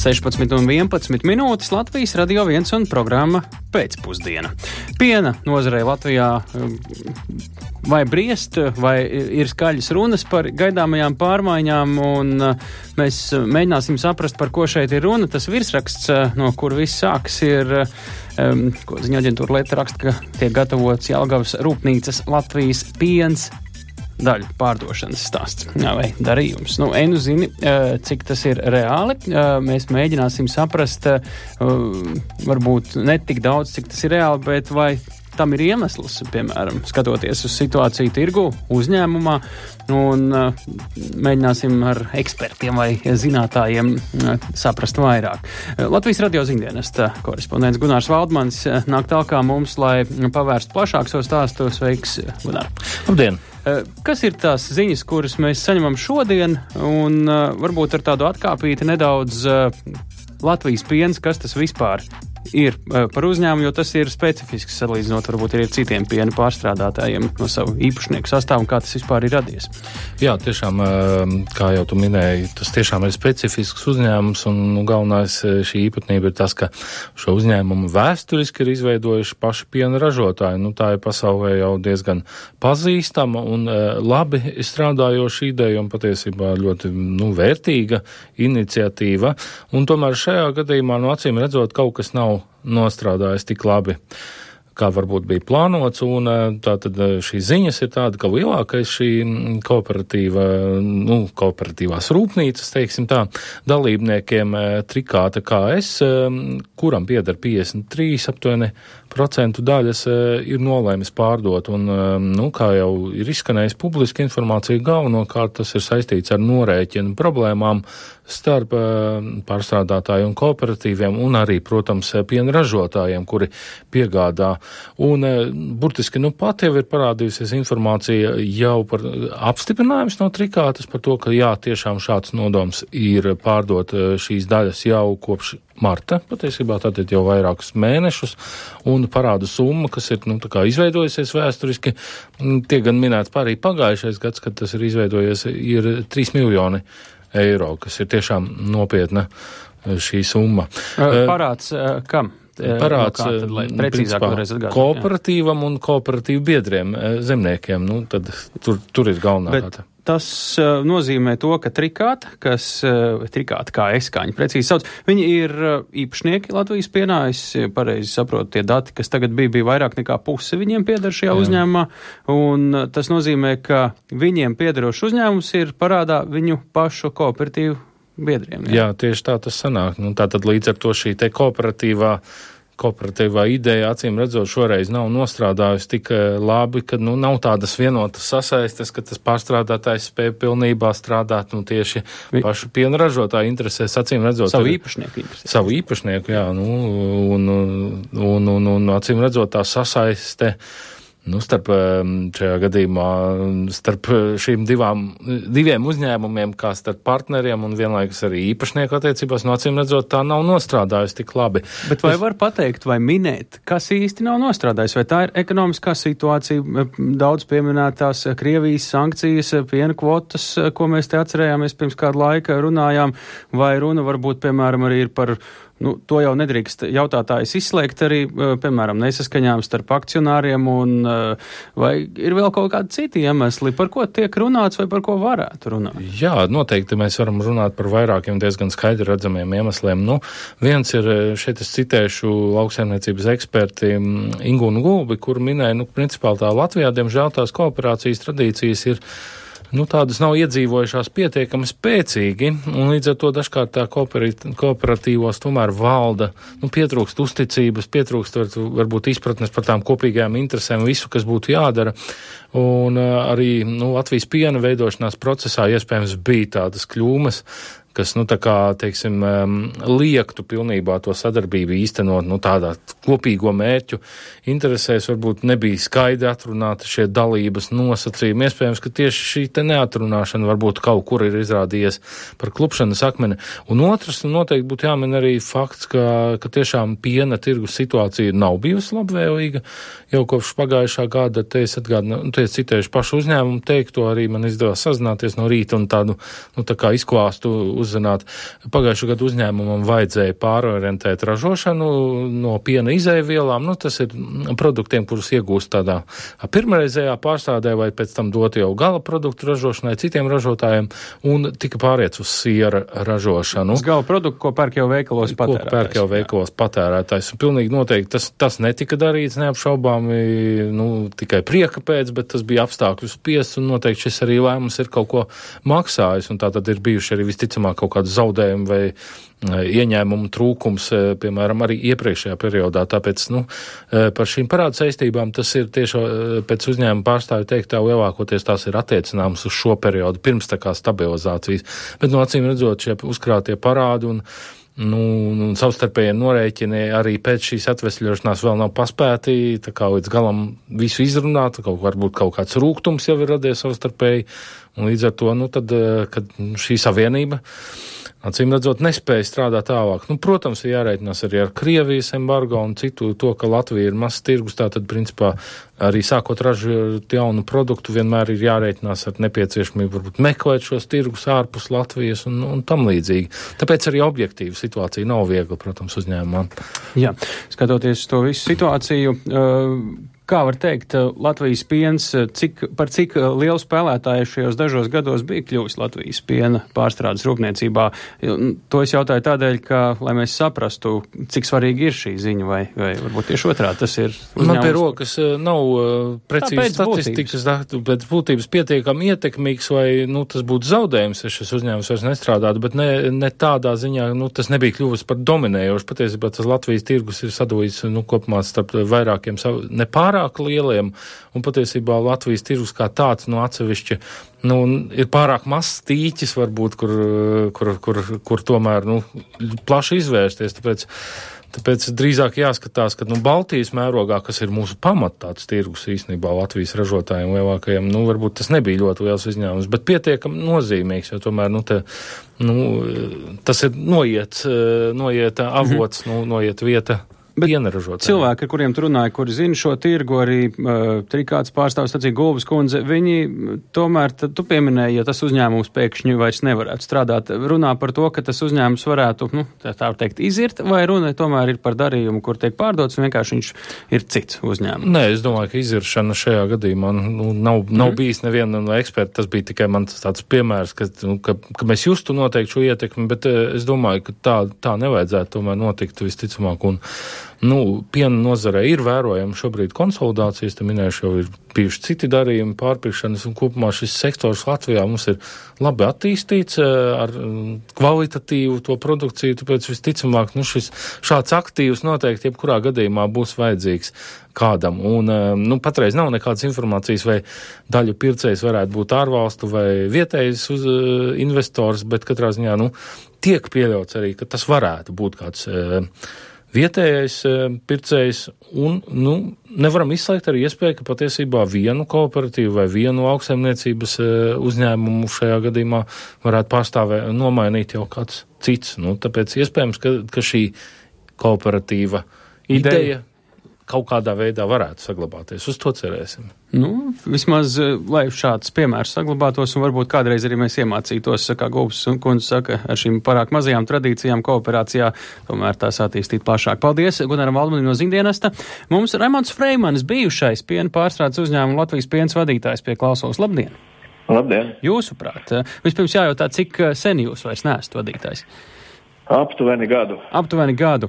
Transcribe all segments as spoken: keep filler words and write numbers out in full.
sešpadsmit un vienpadsmit minūtes Latvijas Radio viens un programma Pēcpusdiena. Piena nozarei Latvijā vai briest, vai ir skaļas runas par gaidāmajām pārmaiņām, un mēs mēģināsim saprast, par ko šeit ir runa. Tas virsraksts, no kur viss sāks, ir, um, ko ziņa aģentūra Leta raksta, ka tiek gatavots Jelgavas rūpnīcas Latvijas piens daļu pārdošanas stāsts vai darījums. Nu, enu zini, cik tas ir reāli. Mēs mēģināsim saprast, varbūt ne tik daudz, cik tas ir reāli, bet vai tam ir iemesls, piemēram, skatoties uz situāciju tirgu, uzņēmumā, un uh, mēģināsim ar ekspertiem vai zinātājiem uh, saprast vairāk. Uh, Latvijas radio ziņdienesta korespondents Gunārs Valdmans uh, nāk tālāk mums, lai pavērstu plašāk savu stāstu. Sveiks, Gunār! Labdien! Uh, kas ir tās ziņas, kuras mēs saņemam šodien, un uh, varbūt ar tādu atkāpīti nedaudz uh, Latvijas piens, kas tas vispār ir par uzņēmumu, jo tas ir specifisks salīdzinot varbūt arī ar citiem piena pārstrādātājiem no savu īpašnieku sastāvu, kā tas vispār ir radies. Jā, tiešām, kā jau tu minēji, tas tiešām ir specifisks uzņēmums, un nu, galvenais šī īpatnība ir tas, ka šo uzņēmumu vēsturiski ir izveidojuši paši piena ražotāji. Nu, tā ir pasaulē jau diezgan pazīstama un labi strādājoša ideja un patiesībā ļoti nu, vērtīga iniciatīva. Un tomēr šajā gadījumā, no acīm redzot, kaut kas nav nostrādājis tik labi, kā varbūt bija plānots, un tātad šīs ziņas ir tāda, ka lielākais šī kooperatīva, nu, kooperatīvās rūpnīcas, teiksim tā, dalībniekiem Trikāta kā es, kuram pieder piecdesmit trīs aptuveni procentu daļas, ir nolēmis pārdot, un, nu, kā jau ir izskanējis publiska informācija, galvenokārt tas ir saistīts ar norēķinu problēmām starp pārstrādātāju un kooperatīviem, un arī, protams, piena ražotājiem, kuri piegādā. Un burtiski, nu, pat jau ir parādījusies informācija jau par apstiprinājums no Trikātas par to, ka jā, tiešām šāds nodoms ir pārdot šīs daļas jau kopš marta, patiesībā tātad jau vairākus mēnešus, un parāda summa, kas ir, nu, tā kā izveidojusies vēsturiski, tiek gan minēts arī pagājušais gads, kad tas ir izveidojies, ir trīs miljoni eiro, kas ir tiešām nopietna šī summa. Parāds kam? Parāds, no kā, tad, lai precīzāk varēs atgādāt. Kooperatīvam un kooperatīvu biedriem, zemniekiem, nu, tad tur, tur ir galvenā Bet tāda. Tas uh, nozīmē to, ka Trikāta, kas, uh, Trikāta kā es, kā viņi precīzi sauc, viņi ir uh, īpašnieki Latvijas pienā, es pareizi saprotu tie dati, kas tagad bija, bija vairāk nekā puse viņiem pieder šajā Jā. uzņēmumā, un uh, tas nozīmē, ka viņiem piederošs uzņēmums ir parādā viņu pašu kooperatīvu biedriem. Jā, Jā tieši tā tas sanāk. Nu, tātad līdz ar to šī te kooperatīvā kooperatīvā ideja, acīm redzot, šoreiz nav nostrādājusi tik labi, ka nu, nav tādas vienotas sasaistes, ka tas pārstrādātājs spēja pilnībā strādāt nu, tieši Vi... pašu piena ražotāju interesēs, acīm redzot. Savu īpašnieku interesēs. Savu īpašnieku, jā, nu, un, un, un, un, un acīm redzot tā sasaiste, nu, starp šajā gadījumā, starp šīm divām, diviem uzņēmumiem, kā starp partneriem un vienlaikus arī īpašnieku attiecībās, no acīm redzot, tā nav nostrādājusi tik labi. Bet vai es... var pateikt vai minēt, kas īsti nav nostrādājis? Vai tā ir ekonomiskā situācija, daudz pieminētās Krievijas sankcijas, piena kvotas, ko mēs te atcerējāmies pirms kādu laika runājām, vai runa varbūt, piemēram, arī ir par Nu, to jau nedrīkst jautātājs izslēgt arī, piemēram, nesaskaņām starp akcionāriem, un vai ir vēl kaut kādi citi iemesli, par ko tiek runāts vai par ko varētu runāt? Jā, noteikti mēs varam runāt par vairākiem diezgan skaidri redzamiem iemesliem. Nu, viens ir, šeit es citēšu lauksaimniecības eksperti Ingūnu Gulbi, kur minēja, nu, principāli tā Latvijā, diemžēl tās kooperācijas tradīcijas ir Nu, tādas nav iedzīvojušās pietiekami spēcīgi, un līdz ar to dažkārt tā kooperatīvos tomēr valda, nu, pietrūkst uzticības, pietrūkst var, varbūt izpratnes par tām kopīgajām interesēm, visu, kas būtu jādara, un arī, nu, Latvijas piena veidošanās procesā iespējams bija tādas kļūmes, kas, nu, tā kā, teiksim, liektu pilnībā to sadarbību īstenot, nu, tādā kopīgo mērķu interesēs varbūt nebija skaidri atrunāti šie dalības nosacījumi. Iespējams, ka tieši šī te neatrunāšana varbūt kaut kur ir izrādījies par klupšanas akmeni. Un otrs, nu, noteikti būtu jāmin arī fakts, ka, ka tiešām piena tirgus situācija nav bijusi labvēlīga. Jau kopš pagājušā gada, te es atgādinu, nu, te es citējuši pašu uzņēmumu teikto, arī man izdevās sazināties no rīta un tādu, nu, tā kā izklāstu uzzināt. Pagājušā gada uzņēmumam vajadzēja pārorientēt ražošanu no piena izēvielām. Nu, tas ir produktiem, kurus iegūst tādā pirmreizējā pārstrādē vai pēc tam dot jau gala produktu ražošanai citiem ražotājiem un tika pāriets uz siera ražošanu. Tas gala produktu, ko pērk jau veikalos patērētājs. Ko pērk jau veikalos patērētājs. Un pilnīgi noteikti tas, tas netika darīts neapšaubāmi, nu, tikai prieka pēc, bet tas bija apstākļu spiests un noteikti šis arī lēmums ir kaut ko maksājis, un tā tad ir bijuši arī visticamāk kaut kādi zaudējumi vai ieņēmumu trūkums, piemēram, arī iepriekšējā periodā. Tāpēc, nu, par šīm parādu saistībām tas ir tieši pēc uzņēmuma pārstāvju teiktā lielākoties tās ir attiecināmas uz šo periodu, pirms tā kā stabilizācijas. Bet, no acīm redzot, šie uzkrātie parādi un Nu, un savstarpējie norēķini arī pēc šīs atvesļošanās vēl nav paspēti, tā kā līdz galam visu izrunāt, kaut varbūt kaut kāds rūgtums jau ir radies savstarpēji, un līdz ar to, nu, tad, kad šī savienība, acīm redzot, nespēja strādāt tālāk. Nu, protams, ir jārēķinās arī ar Krievijas embargo un citu to, ka Latvija ir mazs tirgus, tātad, principā, arī sākot ražot jaunu produktu, vienmēr ir jārēķinās ar nepieciešamību varbūt meklēt šos tirgus ārpus Latvijas un, un tam līdzīgi. Tāpēc arī objektīva situācija nav viegla, protams, uzņēmumam. Jā, skatoties to visu situāciju, uh, kā var teikt, Latvijas piens, cik, par cik lielu spēlētāju šajos dažos gados bija kļuvis Latvijas piena pārstrādes rūpniecībā? To es jautāju tādēļ, ka, lai mēs saprastu, cik svarīgi ir šī ziņa, vai, vai varbūt tieši otrā tas ir uzņēmums. Man pie rokas nav precīzi statistikas, bet būtības pietiekami ietekmīgs, vai, nu, tas būtu zaudējums, ja šis uzņēmums vairs nestrādātu, bet ne, ne tādā ziņā, nu, tas nebija kļuvis par dominējošu. Patiesībā tas Latvijas tirgus ir sadalīts, nu, kopumā starp vairākiem nepārāk lieliem, un patiesībā Latvijas tirgus kā tāds, nu, atsevišķi, nu, ir pārāk mazs tīķis, varbūt, kur, kur, kur, kur tomēr, nu, plaši izvērsties, tāpēc, tāpēc drīzāk jāskatās, ka, nu, Baltijas mērogā, kas ir mūsu pamat tāds tirgus īstenībā Latvijas ražotājiem lielākajiem, nu, varbūt tas nebija ļoti liels izņēmums, bet pietiekami nozīmīgs, jo tomēr, nu, te, nu, tas ir noiet, noiet avots, mm-hmm. nu, noiet vieta. Bet cilvēki, ar kuriem tu runāji, kuri zina šo tirgu, arī uh, trikāts pārstāvs, sacīja Gulbas kundze, viņi tomēr, tad tu pieminēji, ja tas uzņēmums pēkšņi vairs nevarētu strādāt, runā par to, ka tas uzņēmums varētu, nu, tā, tā teikt, izirt, vai runa tomēr ir par darījumu, kur tiek pārdots, un vienkārši viņš ir cits uzņēmums? Nē, es domāju, ka iziršana šajā gadījumā, nu, nav, nav mm. bijis neviena no eksperta, tas bija tikai man tāds piemērs, ka, nu, ka, ka mēs justu noteikti šo ietekmi, bet es domāju, ka tā, tā nevajadzētu tomēr notikt visticamāk, un Nu, piena nozarē ir vērojama šobrīd konsolidācijas, te minējuši jau ir bijuši citi darījumi, pārpirkšanas, un kopumā šis sektors Latvijā mums ir labi attīstīts ar kvalitatīvu to produkciju, tāpēc visticamāk, nu, šis šāds aktīvs noteikti jebkurā gadījumā būs vajadzīgs kādam. Un, nu, patreiz nav nekādas informācijas, vai daļu pircējs varētu būt ārvalstu vai vietējs uz, uh, investors, bet katrā ziņā, nu, tiek pieļauts arī, ka tas varētu būt kāds uh, vietējais e, pircējs, un, nu, nevaram izslēgt arī iespēju, ka patiesībā vienu kooperatīvu vai vienu lauksaimniecības e, uzņēmumu šajā gadījumā varētu pārstāvēt, nomainīt jau kāds cits. Nu, tāpēc iespējams, ka, ka šī kooperatīva ideja, ideja kaut kādā veidā varētu saglabāties. Uz to cerēsim. Nu, vismaz, lai šāds piemērs saglabātos, un varbūt kādreiz arī mēs iemācītos, kā Gulbas kundze saka, ar šīm pārāk mazajām tradīcijām kooperācijā, tomēr tās attīstīt plašāk. Paldies Gunaram Valdmanim no Ziņdienesta. Mums Raimonds Freimanis, bijušais piena pārstrādes uzņēmuma Latvijas piens vadītājs pie klausos. Labdien! Labdien! Jūsuprāt, vispirms jājautā, cik sen jūs vairs neesat vadītājs? Aptuveni gadu. Aptuveni gadu.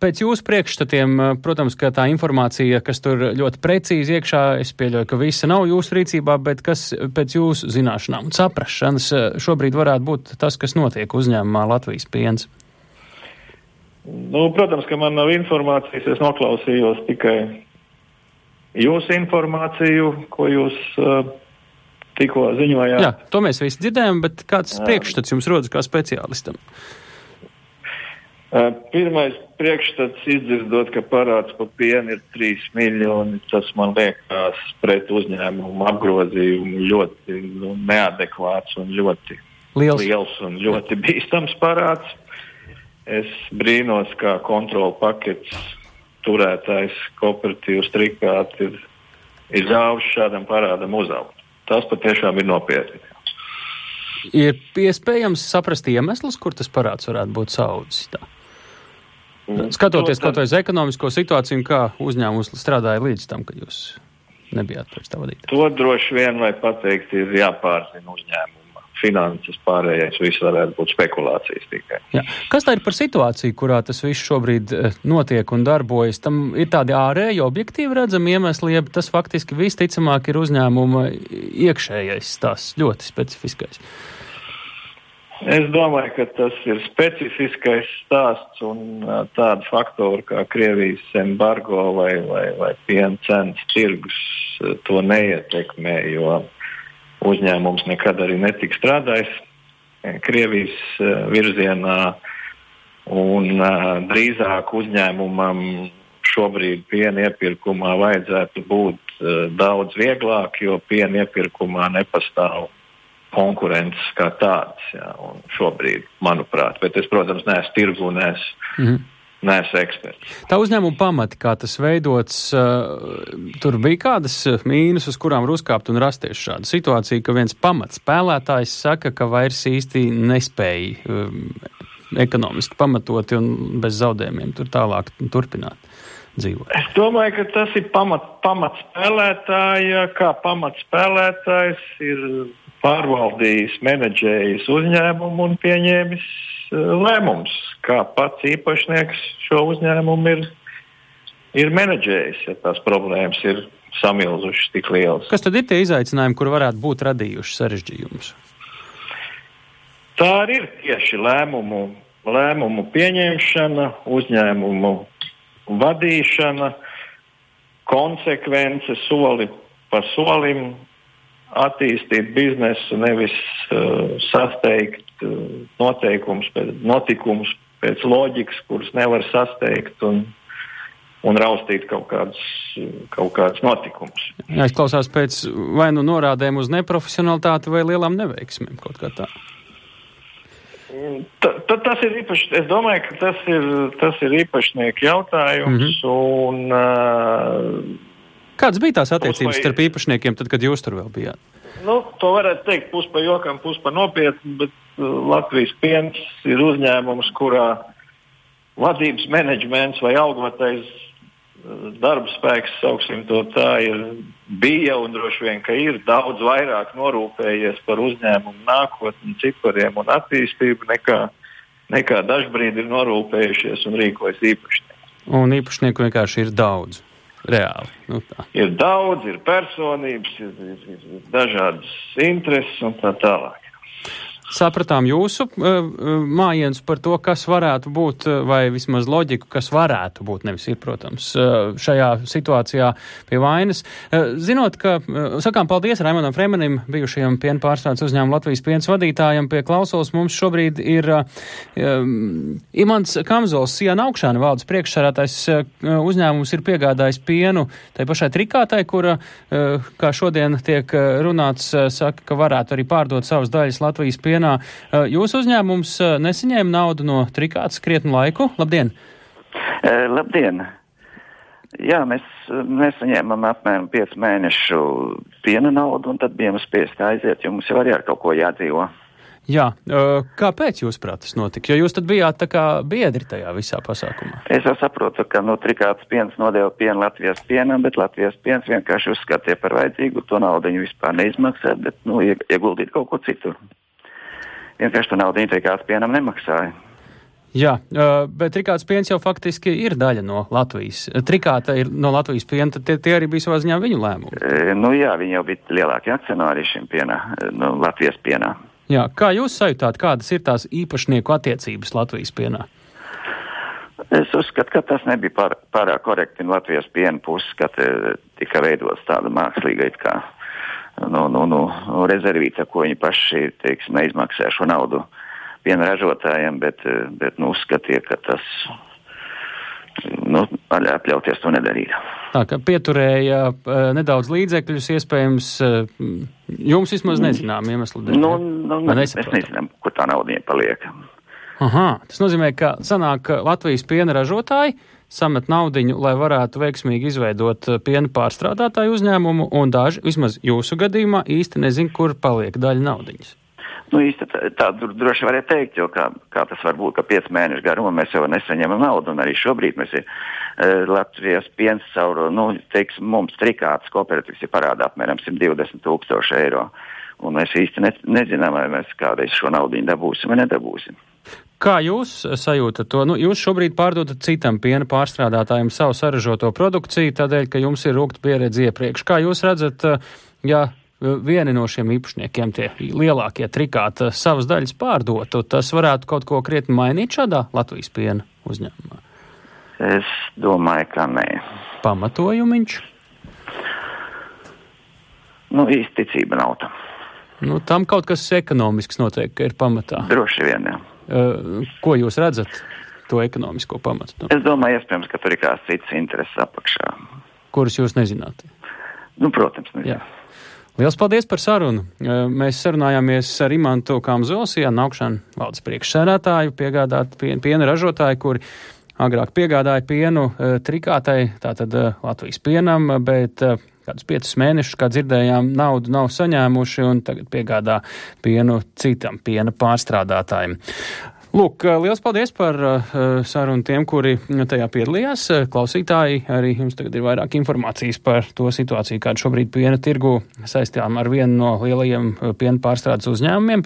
Pēc jūsu priekšstatiem, protams, ka tā informācija, kas tur ļoti precīzi iekšā, es pieļauju, ka visa nav jūsu rīcībā, bet kas pēc jūsu zināšanām un saprašanas šobrīd varētu būt tas, kas notiek uzņēmumā Latvijas piens? Nu, protams, ka man nav informācijas, es noklausījos tikai jūsu informāciju, ko jūs uh, tikko ziņojāt. Jā, to mēs visi dzirdējam, bet kāds Jā. priekšstats jums rodas kā speciālistam? Pirmais priekšstats izdzirdot, ka parāds par pienu ir trīs miljoni, tas man liekas pret uzņēmumu apgrozījumu ļoti nu, neadekvāts un ļoti liels. liels un ļoti bīstams parāds. Es brīnos, kā kontrola paketes turētājs kooperatīvs Trikāt ir, ir ļāvis šādam parādam uzaugt. Tas patiešām ir nopietni. Ir iespējams saprast iemeslus, kur tas parāds varētu būt saudzis tā? Skatoties kaut vai uz ekonomisko situāciju, kā uzņēmums strādāja līdz tam, kad jūs nebijāt pēc tā vadītāja? To droši vien, vai pateikt, ir jāpārzina uzņēmuma finanses, pārējais viss varētu būt spekulācijas tikai. Jā. Kas tā ir par situāciju, kurā tas viss šobrīd notiek un darbojas? Tam ir tādi ārēji objektīvi redzami iemesli, ja tas faktiski visticamāk ir uzņēmuma iekšējais stāsts, ļoti specifiskais. Es domāju, ka tas ir specifiskais stāsts un uh, tādu faktoru kā Krievijas embargo vai, vai, vai piena cenas tirgus uh, to neietekmē, jo uzņēmums nekad arī netika strādājis Krievijas uh, virzienā un uh, drīzāk uzņēmumam šobrīd piena iepirkumā vajadzētu būt uh, daudz vieglāk, jo piena iepirkumā nepastāv konkurences kā tāds, jā, un šobrīd, manuprāt, bet es, protams, neesmu tirgu, neesmu, mm-hmm. neesmu eksperts. Tā uzņēmuma pamati, kā tas veidots, uh, tur bija kādas mīnus, uz kurām var uzkāpt un rasties šāda situācija, ka viens pamats spēlētājs saka, ka vairs īsti nespēja um, ekonomiski pamatoti un bez zaudējumiem tur tālāk turpināt dzīvot. Es domāju, ka tas ir pamat, pamat spēlētāja, kā pamat spēlētājs ir pārvaldījis, menedžējis uzņēmumu un pieņēmis lēmums, kā pats īpašnieks šo uzņēmumu ir, ir menedžējis, ja tās problēmas ir samilzušas tik lielas. Kas tad ir tie izaicinājumi, kur varētu būt radījuši sarežģījumus? Tā ir tieši lēmumu, lēmumu pieņemšana, uzņēmumu vadīšana, konsekvence soli pa solim, attīstīt biznesu, nevis uh, sasteigt uh, noteikums, pēc, notikumus pēc loģikas, kuras nevar sasteigt un, un raustīt kaut kādus, kaut kādus notikumus. Jā, es klausās pēc vai nu norādēm uz neprofesionalitāti vai lielām neveiksmēm, kaut kā tā. Ta, ta, tas ir īpaši, es domāju, ka tas ir, tas ir īpašnieku jautājums mm-hmm. un uh, kādas bija tās attiecības starp īpašniekiem, tad, kad jūs tur vēl bijāt? Nu, to varētu teikt pus pa jokam, pus pa nopietni, bet uh, Latvijas piens ir uzņēmums, kurā vadības menedžments vai algotais uh, darba spēks, sauksim to tā, ir bija un droši vien, ka ir daudz vairāk norūpējies par uzņēmumu nākotni, cipariem un attīstību, nekā, nekā dažbrīd ir norūpējušies un rīkojas īpašnieki. Un īpašnieku vienkārši ir daudz. Reāli. Nu, tā. Ir daudz, ir personības, ir, ir, ir dažādas intereses un tā tālāk. Sapratām jūsu uh, mājienus par to, kas varētu būt, vai vismaz loģiku, kas varētu būt, nevis ir, protams, uh, šajā situācijā pie vainas. Uh, zinot, ka, uh, sakām paldies Raimondam Freimanim, bijušajam piena pārstrādes uzņēmuma Latvijas piens vadītājam, pie klausulas mums šobrīd ir uh, um, Imants Kamzols, Siena Augšāna valdes priekšsēdētājs, uh, uzņēmums ir piegādājis pienu tai pašai Trikātai, kura, uh, kā šodien tiek runāts, uh, saka, ka varētu arī pārdot savas daļas Latvijas piena. Jūsu uzņēmums nesaņēma naudu no Trikātas krietnu laiku. Labdien! Uh, labdien! Jā, mēs nesaņēmām apmēram piecu mēnešu piena naudu, un tad bijām spiesti aiziet, jo mums jau arī ar kaut ko jādzīvo. Jā, uh, kāpēc jūs prāt tas notika? Jo jūs tad bijāt tā kā biedri tajā visā pasākumā. Es jau saprotu, ka no Trikātas piens nodeva pienu Latvijas pienam, bet Latvijas piens vienkārši uzskatīja par vajadzīgu, to naudu viņi vispār neizmaksā, bet, nu, ieguldīt kaut ko citur. Vienkārši to naudu Trikātas pienam nemaksāja. Jā, bet Trikātas piens jau faktiski ir daļa no Latvijas. Trikāta ir no Latvijas piena, tad tie, tie arī bija savā ziņā viņu lēmumi. E, nu jā, viņi jau bija lielākie akcionāri šim pienā, no Latvijas pienā. Jā, kā jūs sajūtāt, kādas ir tās īpašnieku attiecības Latvijas pienā? Es uzskatu, ka tas nebija pār, pārāk korekti no Latvijas piena puses, ka tika veidots tāda mākslīga it kā Nu, nu, nu, rezervīta, ko viņi paši, teiksim, neizmaksā šo naudu piena ražotājiem, bet, bet nu, uzskatīja, ka tas, nu, atļauties to nedarīt. Tā, ka pieturēja nedaudz līdzekļus, iespējams, jums vismaz nezinām iemeslu dēļ. Nu, nu mēs nezinām, kur tā nauda viņiem paliek. Aha, tas nozīmē, ka sanāk Latvijas piena ražotāji samet naudiņu, lai varētu veiksmīgi izveidot piena pārstrādātāju uzņēmumu, un daži, vismaz jūsu gadījumā, īsti nezin, kur paliek daļa naudiņas. Nu, īsti tā, tā droši varētu teikt, jo kā, kā tas var būt, ka pieci mēneši garumā mēs jau nesaņemam naudu, un arī šobrīd mēs ir uh, Latvijas piens caur, nu, teiksim, mums trikātas kooperatīvs ir parādā apmēram simt divdesmit tūkstoši eiro, un mēs īsti ne, nezinām, vai mēs kādreiz šo naudiņu dabūsim vai nedabūsim. Kā jūs sajūtat to? Nu, jūs šobrīd pārdodat citam piena pārstrādātājiem savu saražoto produkciju, tādēļ, ka jums ir rūgta pieredze iepriekš. Kā jūs redzat, ja vieni no šiem īpašniekiem, tie lielākie trikāti, savas daļas pārdotu, tas varētu kaut ko krietni mainīt šādā Latvijas piena uzņēmumā? Es domāju, ka nē. Pamatojumiņš? Nu, īsti ticība nav tam. Nu, tam kaut kas ekonomisks noteikti, ka ir pamatā. Droši vien, jā. Uh, ko jūs redzat, to ekonomisko pamatu? Es domāju, iespējams, ka tur ir kāds cits intereses apakšā. Kurus jūs nezināt? Nu, protams, nezināt. Jā. Liels paldies par sarunu. Mēs sarunājāmies ar Imantu Kamzolsijānu, augšana valdes priekšsēdētāju, piegādāt piena, piena ražotāju, kuri agrāk piegādāja pienu trikātai, tātad Latvijas pienam, bet kādus piecus mēnešus, kā dzirdējām, naudu nav saņēmuši un tagad piegādā pienu citam piena pārstrādātājiem. Lūk, liels paldies par uh, sarunu tiem, kuri tajā piedalījās. Klausītāji, arī jums tagad ir vairāk informācijas par to situāciju, kāda šobrīd piena tirgu saistām ar vienu no lielajiem piena pārstrādes uzņēmumiem.